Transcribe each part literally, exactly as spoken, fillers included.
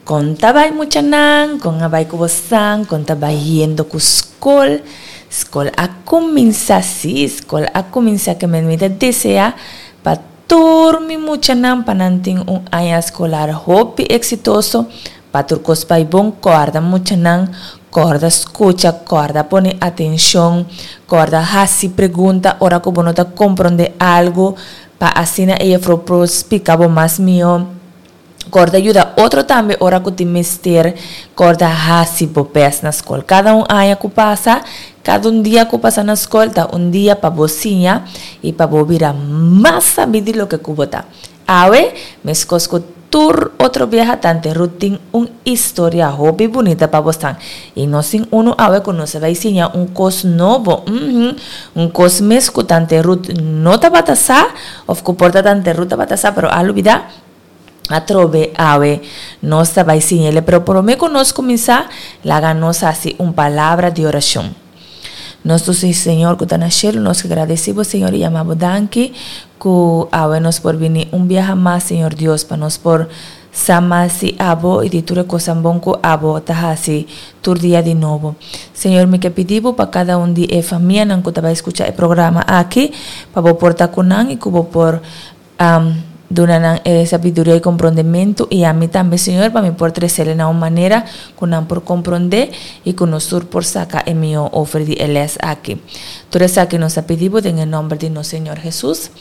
Kon ta bai muchanan, kon a bai ku bosan, kon ta bai yendo ku skol? Skol a kuminsá, sí, skol a kuminsá ke men mi ta deseá pa tur mi muchanan pa nan tin un aña eskolar hopi eksitoso, pa tur kos bai bon. Kòrda muchanan, kòrda skucha, kòrda pone atenshon, kòrda hasi pregunta ora ku bo no ta komprondé algu, pa asina e jefrou por splika bo mas mihó. Kòrda yuda otro tambe ora ku tin mester. Kòrda hasi bo bèst na skol. Kada un aña ku pasa, kada un dia ku pasa na skol ta un dia pa bo siña i pa bo bira mas sabí di loke ku bo ta. Awe, meskos ku tur otro biaha, Tante Ruth tin un historia hopi bunita pa bosnan. I nos tin unu awe ku nos a bai siña un kos nobo, uhum, un kos mes ku Tante Ruth no tabata sa, òf ku por ta Tante Ruth tabata sa pero a lubidá. Atrobe awe nos ta bai siñ'el, pero promé ku nos kuminsá, laga nos hasi un palabra di orashon. Nos Dulce Señor ku ta na shelu, nos ke gradesí bo, Señor, i yama bo danki ku awe nos por bini un biaha mas, Señor Dios, pa nos por sa mas di abo i di tur e kosnan bon ku abo ta hasi tur dia di nobo. Señor, mi ke pidi bo pa kada un di e famianan ku ta bai skucha e programa aki, pa bo por ta ku nan i ku bo por Duna nan e sabiduria i komprondementu, i ami tambe, Señor, pa mi por tresele na un manera ku nan por komprondé i ku nos tur por saka e mihó ofer di e lès aki. Tur esaki nos a pidi bo den e nòmber di nos Señor Hesus.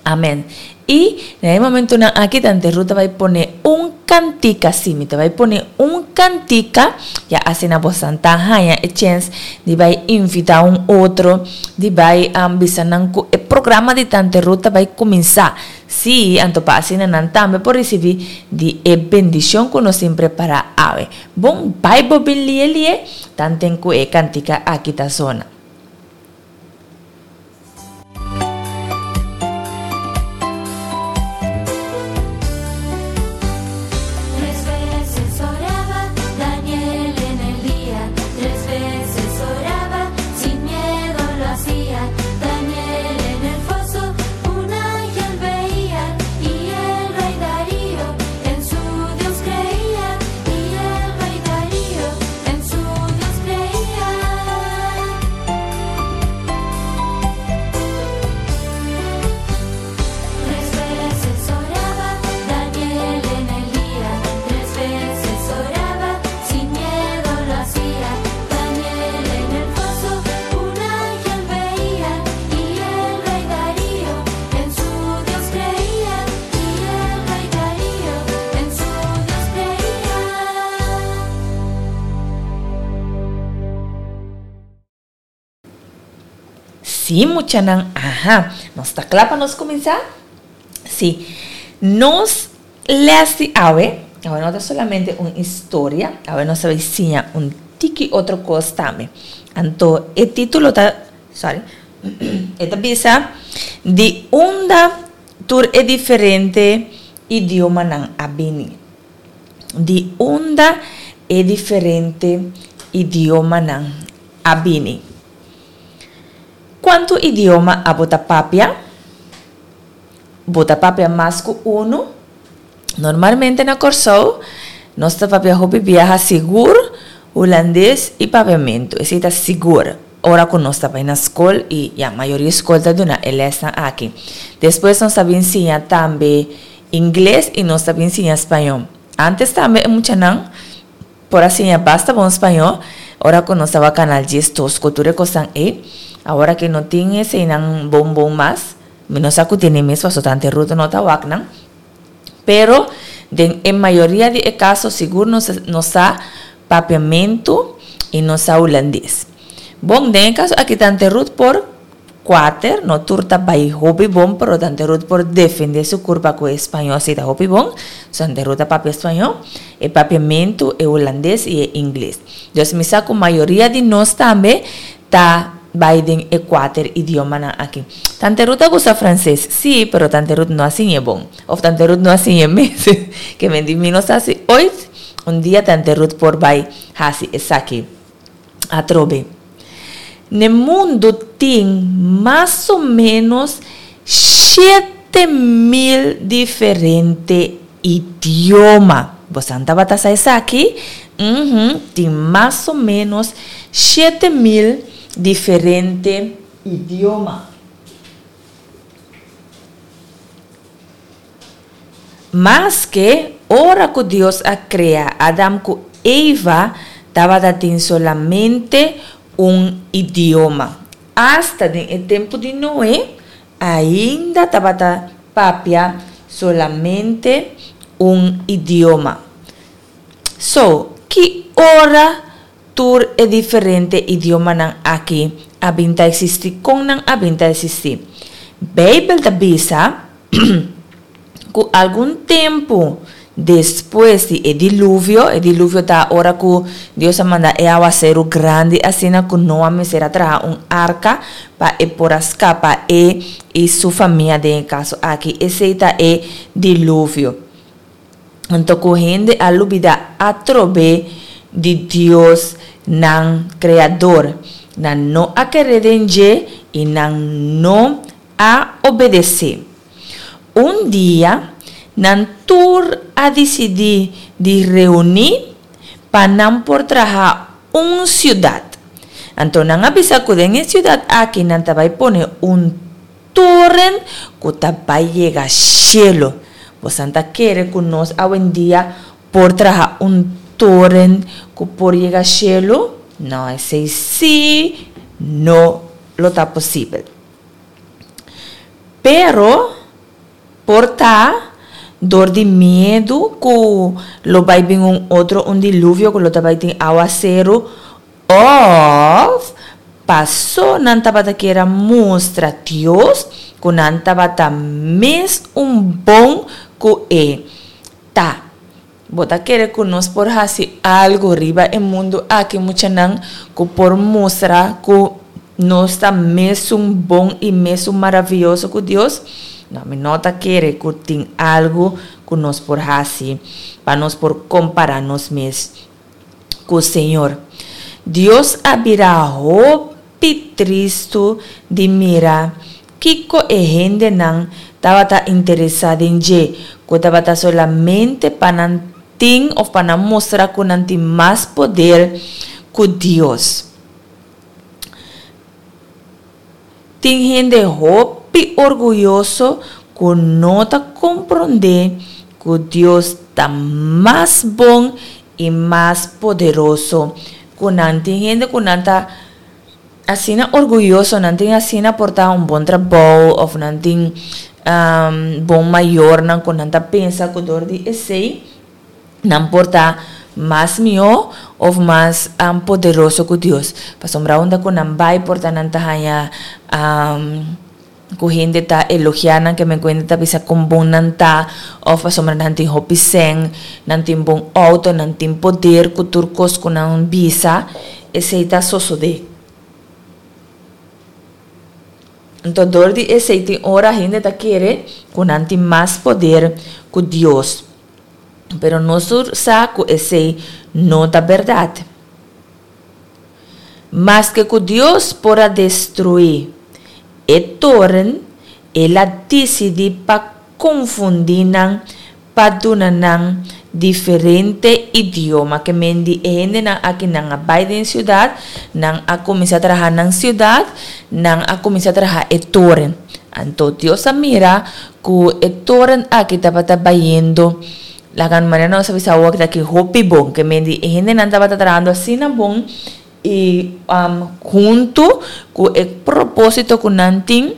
Amèn. I na e momentunan aki Tante Ruth ta bai pone un kantika, sí, mi ta bai pone un kantika, ya asina bosan ta haña e chèns di bai invitá un otro, di bai bisa nan ku e programa di Tante Ruth ta bai kuminsá. Sí, anto pa asina nan tambe por risibí di e bendishon ku nos tin prepará awe. Bon, bai bo bin lie lie, tanten ku e kantika aki ta zona. Sí, muchanan, aha, nos ta kla pa nos kuminsá? Sí, nos les di awe, awe no ta solamente un historia, awe nos ta bai siña un tiki otro kos tambe. Anto e título ta, sorry, e ta bisa, Di unda tur e diferente idiomanan a bini? Di unda e diferente idiomanan a bini? Kuantu idioma abo ta papia? Bo ta papia mas ku unu? Normalmente na Kòrsou nos ta papia hopi biaha sigur hulandes i papiamentu. Esei ta sigur ora ku nos ta bai na skol i ya mayoria skol ta duna e lèsnan aki. Despues nos ta bin siña tambe ingles i nos ta bin siña spañó. Ántes tambe e muchanan por a siña basta bon spañó ora ku nos tabatin kanal dies dos ku tur e kosnan ei. Awor aki no tin eseinan bon bon mas. Mi no sa ku tene mes pasobra tante Ruth no ta wak nan. Pero den e mayoria di e kaso sigur nos nos sa papiamentu i nos sa hulandes. Bon, den e kaso aki tante Ruth por kuater, no tur ta bai hopi bon, pero tante Ruth por defende su kurpa ku e spañó si ta hopi bon. So tante Ruth ta papia spañó, e papiamentu, e hulandes i e ingles. Dus mi sa ku mayoria di nos tambe ta bai den e kuater idiomanan aki. Tante Ruth a gusta franses? Sí, pero tante Ruth no a siñ'e bon. Of tante Ruth no a siñ'e mes. Ke men di mi no sa si oit un dia tante Ruth por bai hasi esaki atrobe. N'e mundu tin mas o ménos shete mil diferente idioma. Bosan tabata sa esaki? Uhum, tin mas o ménos shete mil diferente idioma. Maske ora ku Dios a krea Adam ku Eva tabata tin solamente un idioma. Asta den e tempu di Noe ainda tabata papia solamente un idioma. So, ki ora tur e diferente idiomanan aki a bin ta eksistí? Kon nan a bin ta eksistí? Beibel ta bisa ku algun tempu despues di e diluvio, e diluvio ta ora ku Dios a manda e awaseru grandi asina ku Noa mester a traha un arka pa e por a skapa e i su famia den e kaso aki. Esei ta e diluvio. Anto ku hende a lubidá atrobe di Dios nan Kreador. Nan no a kere den dje i nan no a obedesé. Un dia, nan tur a disidí di reuní pa nan por traha un siudat. Anto nan a bisa ku den e siudat aki nan ta bai pone un toren ku ta bai yega shelu. Bosan ta kere ku nos awendia por traha un toren ku por yega shelu? No, esei sí no lo ta posibel. Pero, por ta dor di miedu ku lo bai bin un otro un diluvio ku lo ta bai tin awaseru òf pasó nan tabata kier a mustra Dios ku nan tabata mes un bon ku e ta. Bo ta kere ku nos por hasi algu riba e mundu aki muchanan ku por mustra ku nos ta mesun bon i mesun maravioso ku Dios? No, mi no ta kere ku tin algu ku nos por hasi pa nos por kompará nos mes ku Señor. Dios a bira hopi tristu di mira kiko e hendenan tabata interesá den dje, ku tabata solamente pa nan tin òf pa nan mustra ku nan tin mas poder ku Dios. Tin hende hopi orguyoso ku no ta komprondé ku Dios ta mas bon i mas poderoso ku nan. Tin hende ku nan ta asina orguyoso, nan tin asina por ta un bon trabou òf nan tin bon mayornan ku nan ta pensa ku dor di esei nan por ta mas mihó òf mas poderoso ku Dios. Pasobra unda ku nan bai por ta nan ta haña ku hende ta elogiá nan, ke men ku hende ta bisa kon bon nan ta, òf pasobra nan tin hopi sèn, nan tin bon outo, nan tin poder ku tur kos ku nan bisa, esei ta sosodé. Anto dor di esei tin ora hende ta kere ku nan tin mas poder ku Dios. Pero nos tur sa ku esei no ta bèrdat. Maske ku Dios por a destruí e toren, el a disidí pa konfundí nan pa duna nan diferente idioma. Ke men di e hendenan aki nan a bai den siudat, nan a kuminsá traha nan siudat, nan a kuminsá traha e toren. Anto Dios a mira ku e toren aki tabata bayendo, laga manera nos a bisa awor aki hopi bon. Ke men di e hendenan tabata trahando asina bon i huntu ku e propósito ku nan tin,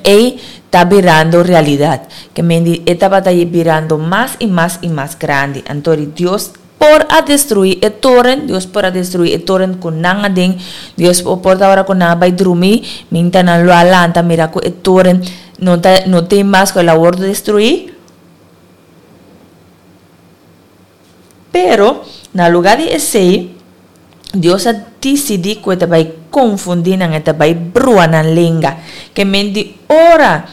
ei ta birando realidat. Ke men di e tabata birando mas i mas i mas grandi. Anto di Dios por a destruí e toren, Dios por a destruí e toren ku nan aden. Dios por ta ora ku nan a bai drumí, minta nan lo a lanta mira ku e toren no ta no tin mas ku el a wòrdu destruí. Pero, na lugá di esei, Dios a disidí ku e ta bai konfundí nan, e ta bai brua nan lenga. Ke men di ora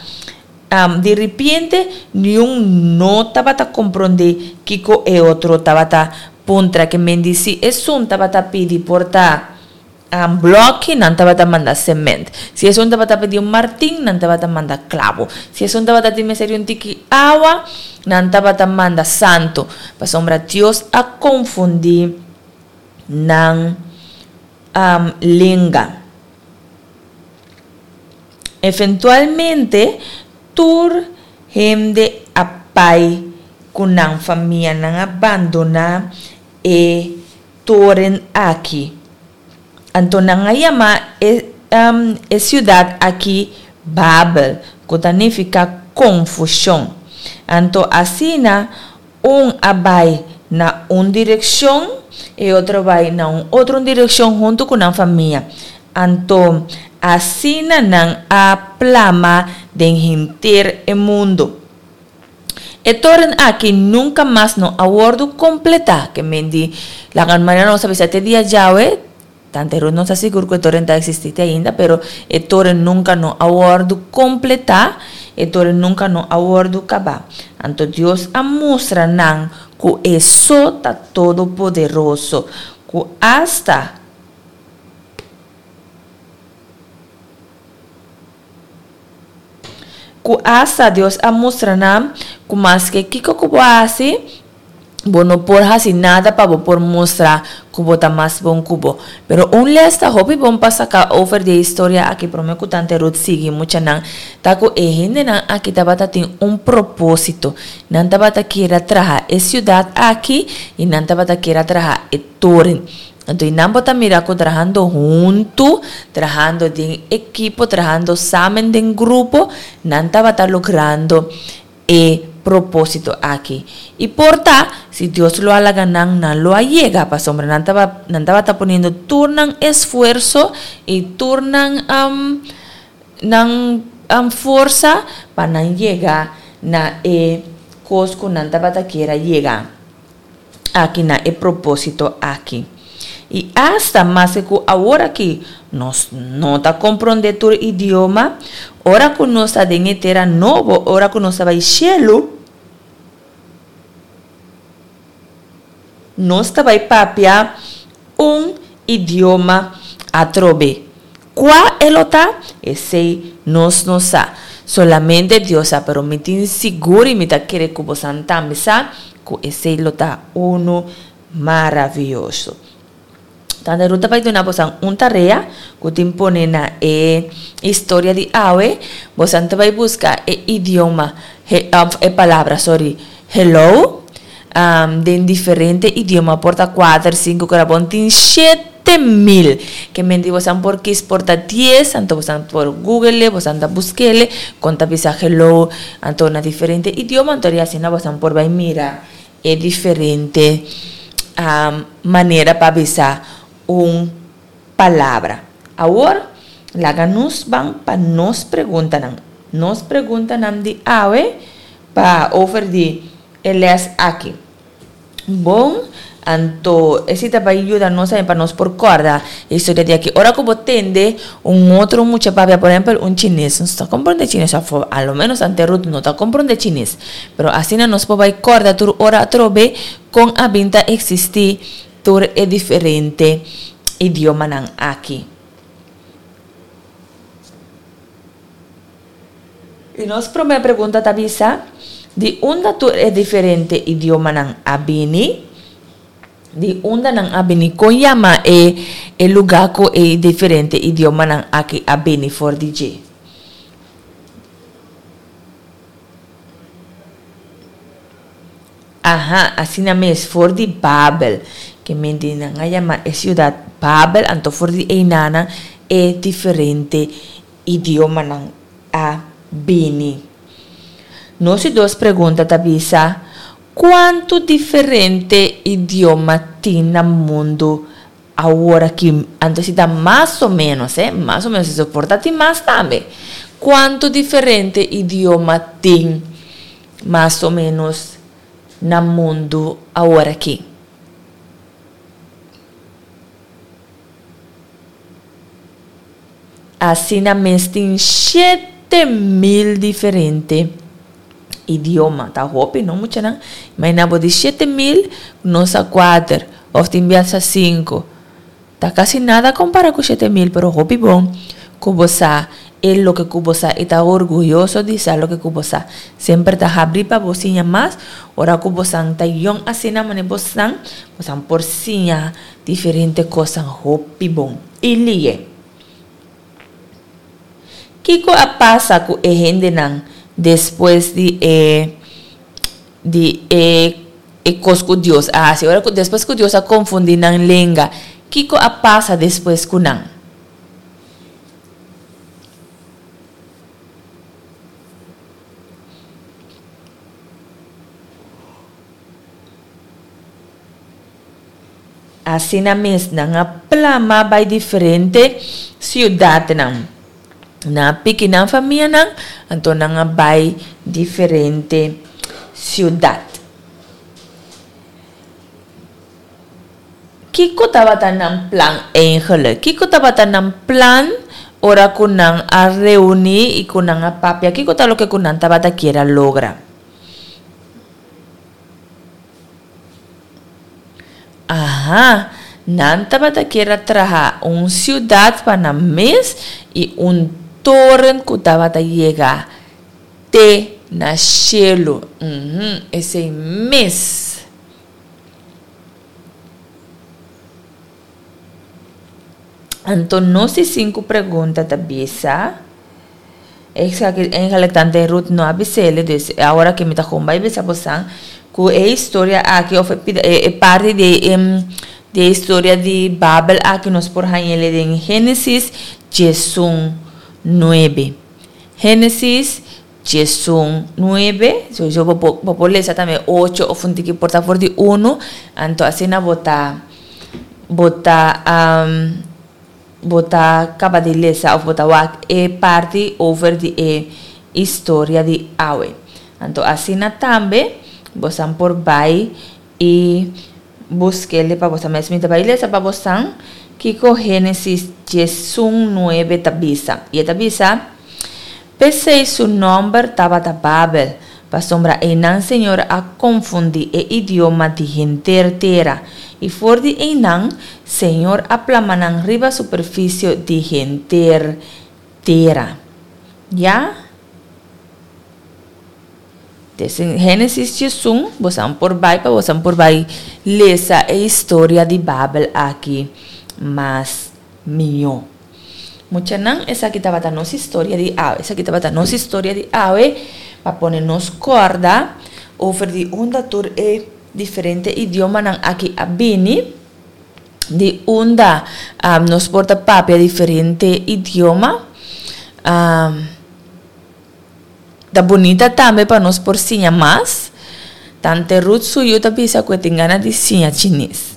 di ripiente niun no tabata komprondé kiko e otro tabata puntra. Ke men di si esun tabata pidi por ta. um, blòki, nan tabata manda semènt. Si esun tabata pidi un martin, nan tabata manda klabu. Si esun tabata tin mester di un tiki awa, nan tabata manda santu. Pasobra Dios a konfundí nan um, lenga. Eventualmente, tur hende a bai ku nan famia, nan a bandoná e toren aki. Anto nan a yama e, um, e siudat aki Babel, ku ta nifiká konfushon. Anto asina un a bai na un direkshon, e otro bai na un otro direkshon huntu ku nan famia. Anto asina nan a plama den henter e mundu. E toren aki nunka mas no a wòrdu kompletá, ke men di laga manera nos a bisa te dia djawe, tante Ruth no ta sigur ku e toren ta eksistí te ainda, pero e toren nunka no a wòrdu kompletá, e toren nunka no a wòrdu kabá. Anto Dios a mustra nan ku e so ta Todopoderoso, ku asta. Ku asta Dios a mustra nan ku maske kiko ku bo hasi, bo no por hasi nada pa bo por mustra ku bo ta mas bon ku bo. Pero un les ta hopi bon pa saka over di e historia aki prome ku Tante Ruth sigui muchanan ta ku e hendenan aki tabata tin un propósito. Nan tabata kier a traha e siudat aki i nan tabata kier a traha e toren. Anto i nan bo ta mira ku trahando huntu, trahando den ekipo, trahando samen den grupo, nan tabata logrando e propósito aki. I por ta, si Dios lo a laga nan, nan lo a yega, pasobra nan taba nan tabata poniendo tur nan esfuerso i tur nan nan forsa pa nan yega na e kos ku nan tabata kier a yega. Aki na e propósito aki. I asta maske ku awor aki nos no ta komprondé tur idioma, ora ku nos ta den e tera nobo, ora ku nos ta bai shelu, nos ta bai papia un idioma atrobe. Kua e lo ta? Esei nos no sa. Solamente Dios sa, pero mi tin sigur i mi ta kere ku bosan tambe sa ku esei lo ta unu maravioso. Tante Ruth ta bai duna bosan un tarea ku tin pone na e historia di awe. Bosan ta bai buska e idioma, e palabra, sorry, hello, den diferente idioma, por ta kuater, sinku, kora bon tin shete mil. Ke menti bosan por kis por ta dies, anto bosan por google, bosan ta busk'e, kon ta bisa hello, anto na diferente idioma, anto di asina bosan por bai mira e diferente manera pa bisa un palabra. Awor, laga nos ban pa nos preguntanan. Nos preguntanan di awe pa over di e les aki. Bon, anto esei ta bai yuda nos tambe pa nos por kòrda e historia di aki. Ora ku bo tende un otro mucha papia, por ehèmpel un chines, nos ta komprondé chines òf a lo ménos Tante Ruth no ta komprondé chines, pero asina nos por bai kòrda tur ora atrobe kon a bin ta eksistí tur e diferente idiomanan aki. I nos promé pregunta ta bisa, Di unda tur e diferente idiomanan a bini? Di unda nan a bini? Kon yama e e lugá ku e diferente idiomanan aki a bini for di dje? Aha, asina mes, for di Babel. Ke menti nan a yama e siudat Babel, anto for di einanan e diferente idiomanan a bini. Nos di dos pregunta ta bisa, Kuantu diferente idioma tin na mundu aworakí? Anto si ta mas o ménos, eh, mas o ménos, eso por ta tin mas tambe. Kuantu diferente idioma tin mas o ménos na mundu aworakí? Asina mes tin shete mil diferente idioma. Ta hopi no muchanan? Imagina bo di shete mil nos a kuater of tin biaha sinku. Ta kasi nada kompara ku shete mil, pero hopi bon ku bo sa e loke ku bo sa i ta orguyoso di sa loke ku bo sa. Semper ta habri pa bo siña mas. Ora ku bosan ta yong asina mane bosan, bosan por siña diferente kosnan hopi bon i liye. Kiko a pasa ku e hendenan despues di e di e e kos ku Dios a hasi? Ora ku despues ku Dios a konfundí nan lenga, kiko a pasa despues ku nan? Asina mes nan a plama bai diferente siudatnan. Nan a piki nan famianan, anto nan a bai diferente siudat. Kiko tabata nan plan eigenlijk? Kiko tabata nan plan ora ku nan a reuní i ku nan a papia? Kiko ta loke ku nan tabata kier a logra? Aha, nan tabata kier a traha un siudat pa nan mes i un toren ku tabata yega te na shelu. Uhum, esei mes. Anto nos di sinku pregunta ta bisa, Esaki eigenlijk tante Ruth no a bis'ele, dus awor aki mi ta kon bai bisa bosan ku e historia aki of e pida e parti di e di e historia di Babel aki nos por hañ'ele den Génesis diesun nuebe. Génesis diesun nuebe, sowieso bo por bo por lesa tambe ocho of un tiki por ta for di unu, anto asina bo ta bo ta Bo ta kaba di lesa òf bo ta wak e parti over di e historia di awe. Anto asina tambe bosan por bai i busk'el pa bosan mes. Mi ta bai lesa pa bosan kiko Génesis diesun nuebe ta bisa. I e ta bisa, P'esei su nòmber tabata Babel, pasobra einan Señor a konfundí e idioma di henter tera, i for di einan Señor a plama nan riba superfisio di henter tera. Ya? Des den Génesis diesun, bosan por bai pa bosan por bai lesa e historia di Babel aki mas mihó. Muchanan, esaki tabata nos historia di awe. Esaki tabata nos historia di awe pa pone nos kòrda over di unda tur e diferente idiomanan aki a bini, di unda nos por ta papia diferente idioma. Ta bunita tambe pa nos por siña mas. Tante Ruth su yu ta bisa ku e tin gana di siña chines.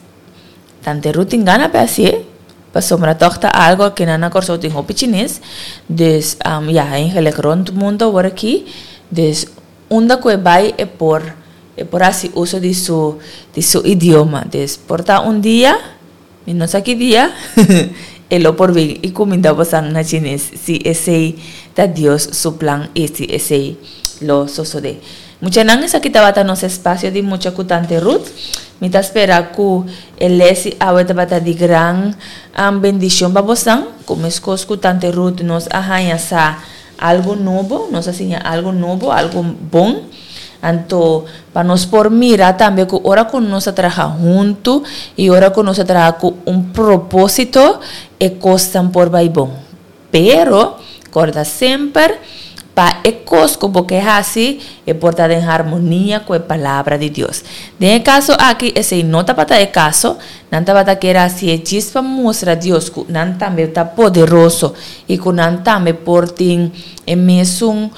Tante Ruth tin gana pa hasié, pasobra tòg ta algu ku nan na Kòrsou tin hopi chines. Dus, ya, eigenlijk rònt mundu awor aki. Dus, unda ku e bai e por e por hasi uso di su di su idioma. Dus, por ta un dia, mi no sa ki dia, e lo por bin i kuminda bosan na chines, si esei ta Dios su plan i si esei lo sosodé. Muchanan, esaki tabata nos espacio di Mucha cu Tante Ruth. Mi ta spera cu e les di awe tabata di gran bendicion pa bosnan. Cu mescos cu Tante Ruth nos a haña sa algo nobo, nos a siña algo nobo, algo bon. Anto pa nos por mira tambe cu ora cu nos ta traha hunto y ora cu nos ta traha cu un proposito, e cosnan por bay bon. Pero, corda semper, Pa e kos ku bo ke hasi, e por ta den harmonia ku e Palabra di Dios. Den e kaso aki, esei no tabata e kaso. Nan tabata kier hasié djis pa mustra Dios ku nan tambe ta poderoso i ku nan tambe por tin e mesun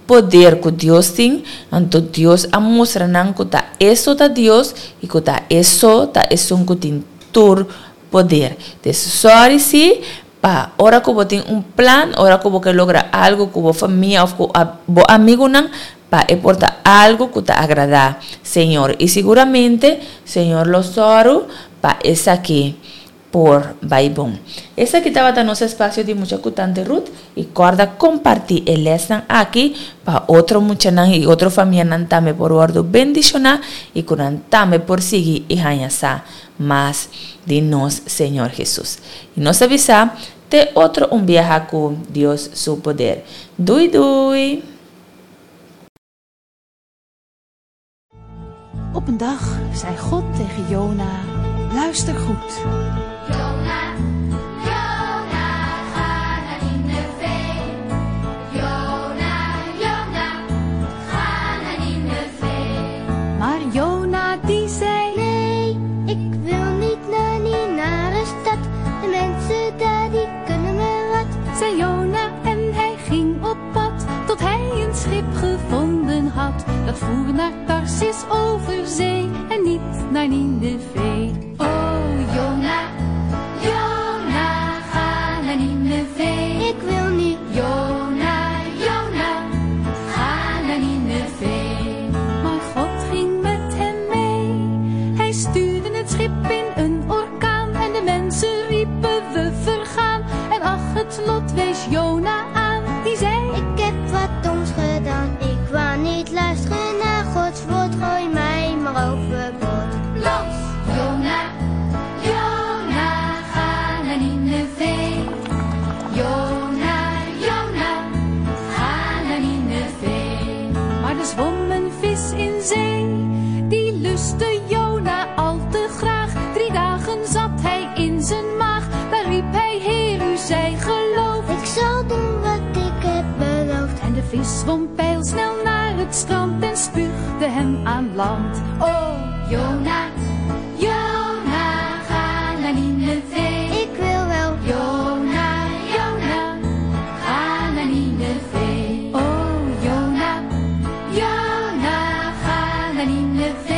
poder ku Dios tin. Anto Dios a mustra nan ku ta e so ta Dios i ku ta e so ta esun ku tin tur poder. Des sòri si Pa ora ku bo tin un plan, ora ku bo ke logra algu ku bo famia òf ku bo amigunan, pa e por ta algu ku ta agradá Señor. I siguramente Señor lo sòru pa esaki por bai bon. Esaki tabata nos espasio di mucha ku Tante Ruth i kòrda kompartí e lèsnan aki pa otro muchanan i otro famianan tambe por wòrdu bendishoná i ku nan tambe por sigui i haña sa mas di nos Señor Hesus. I nos a bisa te otro un biaha ku Dios su poder. Dui dui! Op een dag zei God tegen Jona, luister goed. Jona, Jona, ga naar Nineve. Jona, Jona, ga naar Nineve. Maar Jona die zei, nee, ik wil niet naar die nare stad. De mensen daar die kunnen me wat. Zei Jona en hij ging op pad, tot hij een schip gevonden had. Dat voer naar Tarsis over zee en niet naar Nineve. Oh Jona, Jona, ga naar Nineve. Ik wil niet. Jona, Jona, ga naar Nineve. Maar God ging met hem mee. Hij stuurde het schip in een orkaan en de mensen riepen we vergaan. En ach, het lot wees Jona aan, die zei, ik heb wat doms gedaan. Ik wou niet luisteren naar Gods woord, gooi mij maar overboord. Los! Jona, Jona, ga naar Nineve. Jona, Jona, ga naar Nineve. Maar er zwom een vis in zee, die lustte Jona al te graag. Drie dagen zat hij in zijn maag, daar riep hij, Heer, u zij geloofd. Ik zal doen wat ik heb beloofd. En de vis zwom pijlsnel naar het strand en spuugde hem aan land. Oh, Jona, Jona, ga naar Nineve. Ik wil wel. Jona, Jona, ga naar Nineve. Oh, Jona, Jona, ga naar Nineve.